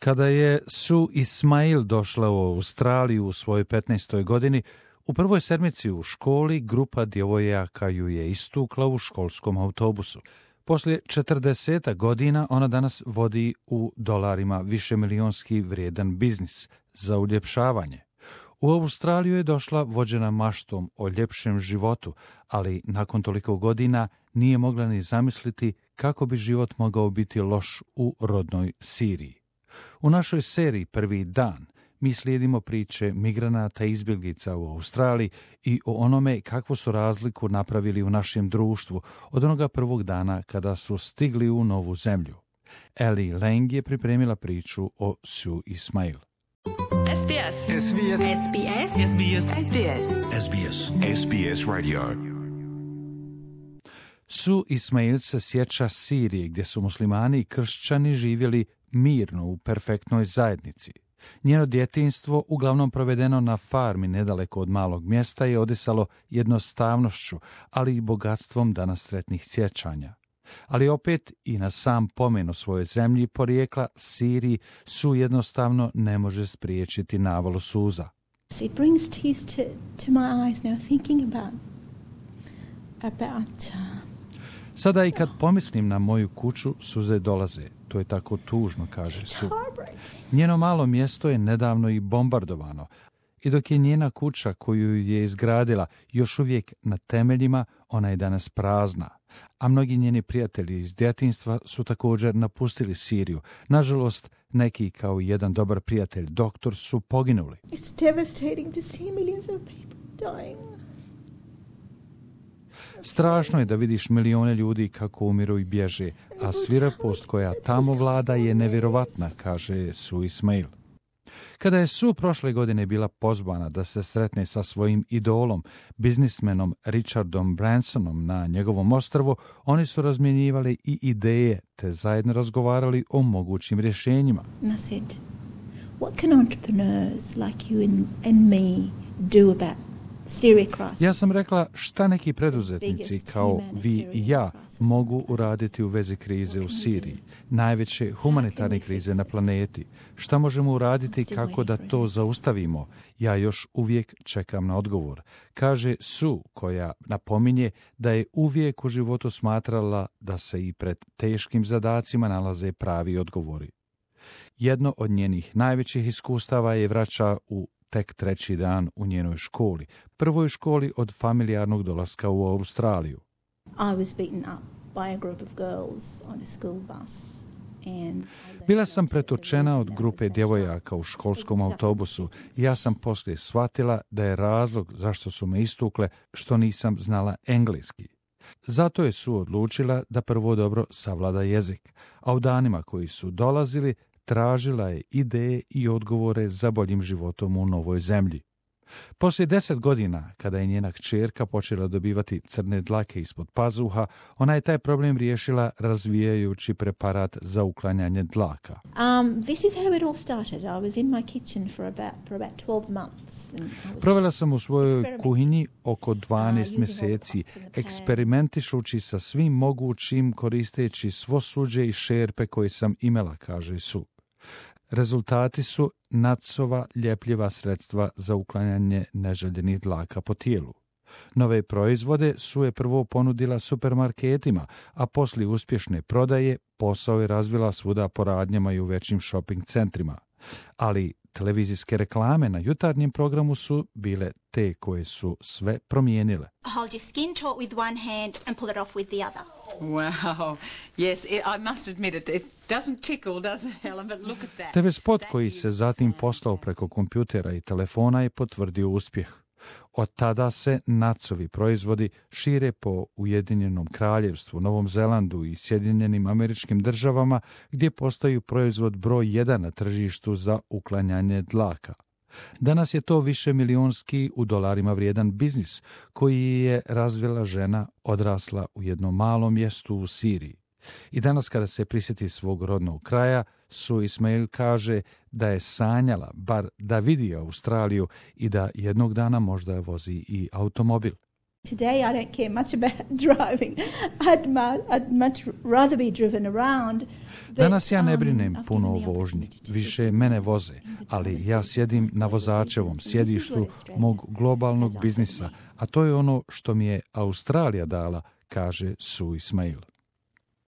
Kada je Sue Ismail došla u Australiju u svojoj 15. godini, u prvoj sedmici u školi grupa djevojaka ju je istukla u školskom autobusu. Poslije 40 godina ona danas vodi u dolarima višemilijonski vrijedan biznis za uljepšavanje. U Australiju je došla vođena maštom o ljepšem životu, ali nakon toliko godina nije mogla ni zamisliti kako bi život mogao biti loš u rodnoj Siriji. U našoj seriji Prvi dan mi slijedimo priče migranata i izbjeglica u Australiji i o onome kakvu su razliku napravili u našem društvu od onoga prvog dana kada su stigli u novu zemlju. Ellie Lang je pripremila priču o Sue Ismail. SBS. SBS. SBS. SBS. SBS. SBS. SBS Radio. Sue Ismail se sjeća Sirije gdje su muslimani i kršćani živjeli mirno u perfektnoj zajednici. Njeno djetinjstvo, uglavnom provedeno na farmi nedaleko od malog mjesta, je odisalo jednostavnošću, ali i bogatstvom danas sretnih sjećanja. Ali opet i na sam pomen o svojoj zemlji porijekla Siriji Sue jednostavno ne može spriječiti navalu suza. It brings tears to my eyes now thinking about Sada i kad pomislim na moju kuću, suze dolaze. To je tako tužno, kaže Sue. Njeno malo mjesto je nedavno i bombardovano. I dok je njena kuća koju je izgradila još uvijek na temeljima, ona je danas prazna. A mnogi njeni prijatelji iz djetinjstva su također napustili Siriju. Nažalost, neki kao jedan dobar prijatelj, doktor, su poginuli. It's devastating to see millions of people dying. Strašno je da vidiš milijone ljudi kako umiru i bježe, a svirepost koja tamo vlada je nevjerovatna, kaže Sue Ismail. Kada je Sue prošle godine bila pozvana da se sretne sa svojim idolom, biznismenom Richardom Bransonom na njegovom ostrvu, oni su razmjenjivali i ideje te zajedno razgovarali o mogućim rješenjima. And I said, what can entrepreneurs like you and me do about Syria crisis? Ja sam rekla šta neki preduzetnici kao vi i ja mogu uraditi u vezi krize u Siriji, najveće humanitarne krize na planeti. Šta možemo uraditi kako da to zaustavimo? Ja još uvijek čekam na odgovor, kaže Sue, koja napominje da je uvijek u životu smatrala da se i pred teškim zadacima nalaze pravi odgovori. Jedno od njenih najvećih iskustava je vraća u tek 3. dan u njenoj školi, prvoj školi od familijarnog dolaska u Australiju. I was beaten up by a group of girls on a school bus. Bila sam pretočena od grupe djevojaka u školskom autobusu i ja sam poslije shvatila da je razlog zašto su me istukle što nisam znala engleski. Zato je Sue odlučila da prvo dobro savlada jezik, a u danima koji su dolazili tražila je ideje i odgovore za boljim životom u novoj zemlji. Poslije 10 godina, kada je njena kćerka počela dobivati crne dlake ispod pazuha, ona je taj problem riješila razvijajući preparat za uklanjanje dlaka. This is how it all started. I was in my kitchen for about 12 months. Provela sam u svojoj kuhinji oko 12 mjeseci, eksperimentišući sa svim mogućim, koristeći svo suđe i šerpe koje sam imala, kaže Sue. Rezultati su nacova ljepljiva sredstva za uklanjanje neželjenih dlaka po tijelu. Nove proizvode Sue je prvo ponudila supermarketima, a poslije uspješne prodaje posao je razvila svuda po radnjama i u većim shopping centrima. Ali televizijske reklame na jutarnjem programu su bile te koje su sve promijenile. Hold your skin taut with one hand and pull it off with the other. Wow. Yes, I must admit it doesn't tickle, does it, Helen? But look at that. TV spot koji se zatim poslao preko kompjutera i telefona je potvrdio uspjeh. Od tada se nacovi proizvodi šire po Ujedinjenom kraljevstvu, Novom Zelandu i Sjedinjenim Američkim Državama, gdje postaju proizvod broj 1 na tržištu za uklanjanje dlaka. Danas je to višemilijonski u dolarima vrijedan biznis koji je razvila žena odrasla u jednom malom mjestu u Siriji. I danas kada se prisjeti svog rodnog kraja, Sue Ismail kaže da je sanjala bar da vidi Australiju i da jednog dana možda vozi i automobil. Today I don't care much about driving. I'd much rather be driven around. Danas ja ne brinem puno o vožnji, više mene voze, ali ja sjedim na vozačevom sjedištu mog globalnog biznisa, a to je ono što mi je Australija dala, kaže Sue Ismail.